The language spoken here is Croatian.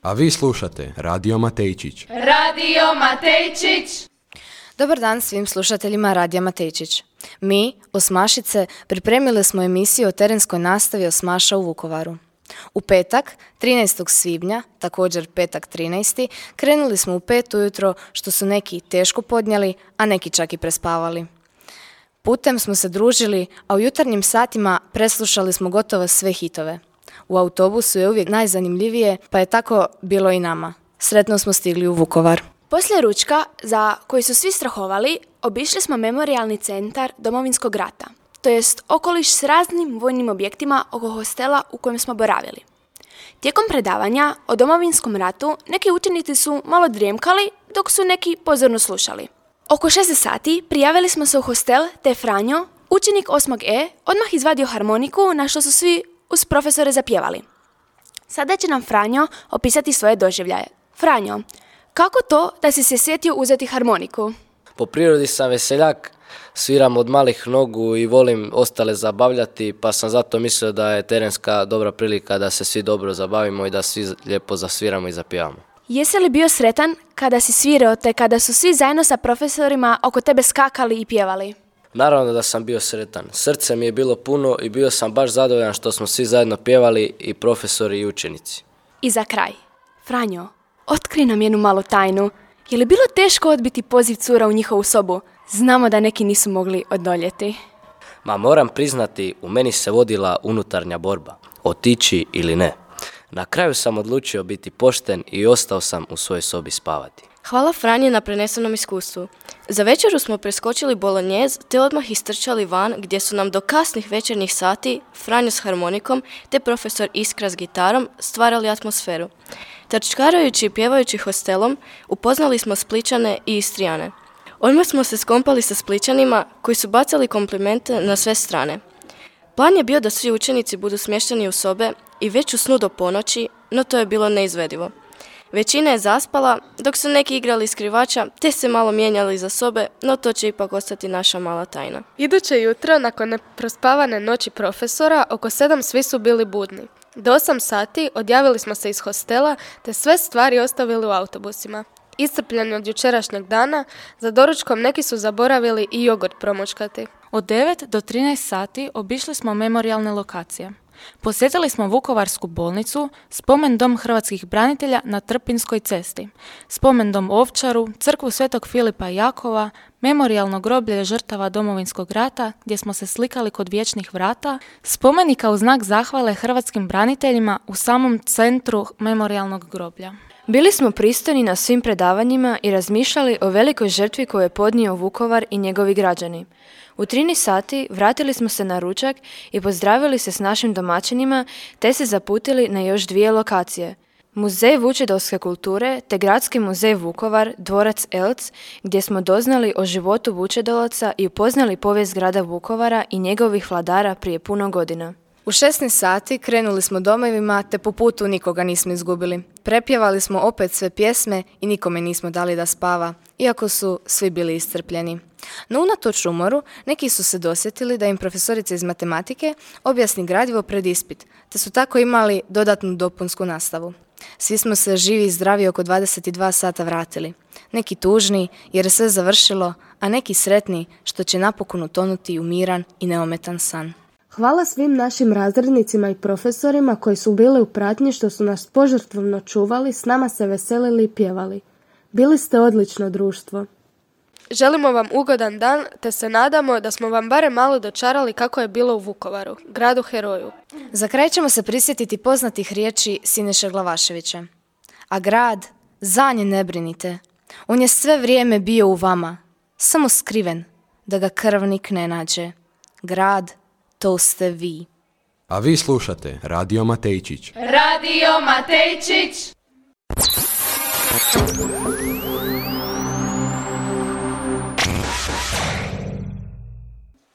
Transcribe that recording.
A vi slušate Radio Matejčić. Radio Matejčić! Dobar dan svim slušateljima Radija Matejčić. Mi, Osmašice, pripremili smo emisiju o terenskoj nastavi Osmaša u Vukovaru. U petak, 13. svibnja, također petak 13. krenuli smo u 5 ujutro, što su neki teško podnijeli, a neki čak i prespavali. Putem smo se družili, a u jutarnjim satima preslušali smo gotovo sve hitove. U autobusu je uvijek najzanimljivije, pa je tako bilo i nama. Sretno smo stigli u Vukovar. Poslije ručka, za koji su svi strahovali, obišli smo memorijalni centar Domovinskog rata, to jest okoliš s raznim vojnim objektima oko hostela u kojem smo boravili. Tijekom predavanja o Domovinskom ratu neki učenici su malo drijemkali, dok su neki pozorno slušali. Oko 6 sati prijavili smo se u hostel, te Franjo, učenik 8. E, odmah izvadio harmoniku, na što su svi uz profesore zapjevali. Sada će nam Franjo opisati svoje doživljaje. Franjo, kako to da si se sjetio uzeti harmoniku? Po prirodi sam veseljak, sviram od malih nogu i volim ostale zabavljati, pa sam zato mislio da je terenska dobra prilika da se svi dobro zabavimo i da svi lijepo zasviramo i zapjevamo. Jesi li bio sretan kada si svirao te kada su svi zajedno sa profesorima oko tebe skakali i pjevali? Naravno da sam bio sretan. Srce mi je bilo puno i bio sam baš zadovoljan što smo svi zajedno pjevali, i profesori i učenici. I za kraj, Franjo, otkrij nam jednu malu tajnu. Je li bilo teško odbiti poziv cura u njihovu sobu? Znamo da neki nisu mogli odoljeti. Moram priznati, u meni se vodila unutarnja borba, otići ili ne. Na kraju sam odlučio biti pošten i ostao sam u svojoj sobi spavati. Hvala Franji na prenesenom iskustvu. Za večeru smo preskočili bolonjez te odmah istrčali van, gdje su nam do kasnih večernjih sati Franjo s harmonikom te profesor Iskra s gitarom stvarali atmosferu. Trčkarajući i pjevajući hostelom upoznali smo Splićane i Istrijane. Odmah smo se skompali sa Splićanima koji su bacali komplimente na sve strane. Plan je bio da svi učenici budu smješteni u sobe i već u snu do ponoći, no to je bilo neizvedivo. Većina je zaspala, dok su neki igrali skrivača, te se malo mijenjali za sobe, no to će ipak ostati naša mala tajna. Iduće jutro, nakon neprospavane noći profesora, oko 7 svi su bili budni. Do 8 sati odjavili smo se iz hostela, te sve stvari ostavili u autobusima. Iscrpljeni od jučerašnjeg dana, za doručkom neki su zaboravili i jogurt promučkati. Od 9 do 13 sati obišli smo memorijalne lokacije. Posjetili smo Vukovarsku bolnicu, spomen dom hrvatskih branitelja na Trpinskoj cesti, spomen dom Ovčaru, crkvu Svetog Filipa i Jakova, memorijalno groblje žrtava Domovinskog rata gdje smo se slikali kod vječnih vrata, spomenika u znak zahvale hrvatskim braniteljima u samom centru memorijalnog groblja. Bili smo pristojni na svim predavanjima i razmišljali o velikoj žrtvi koju je podnio Vukovar i njegovi građani. U 13 sati vratili smo se na ručak i pozdravili se s našim domaćinima, te se zaputili na još 2 lokacije. Muzej vučedolske kulture te Gradski muzej Vukovar, dvorac Elc, gdje smo doznali o životu Vučedolaca i upoznali povijest grada Vukovara i njegovih vladara prije puno godina. U 16 sati krenuli smo domovima, te po putu nikoga nismo izgubili. Prepjevali smo opet sve pjesme i nikome nismo dali da spava, iako su svi bili iscrpljeni. No unatoč umoru, neki su se dosjetili da im profesorica iz matematike objasni gradivo pred ispit, te su tako imali dodatnu dopunsku nastavu. Svi smo se živi i zdravi oko 22 sata vratili. Neki tužni jer je sve završilo, a neki sretni što će napokon utonuti u miran i neometan san. Hvala svim našim razrednicima i profesorima koji su bili u pratnji, što su nas požrtvovno čuvali, s nama se veselili i pjevali. Bili ste odlično društvo. Želimo vam ugodan dan, te se nadamo da smo vam barem malo dočarali kako je bilo u Vukovaru, gradu heroju. Za kraj ćemo se prisjetiti poznatih riječi Siniše Glavaševića. A grad, za nje ne brinite. On je sve vrijeme bio u vama, samo skriven, da ga krvnik ne nađe. Grad, to ste vi. A vi slušate Radio Matejčić. Radio Matejčić!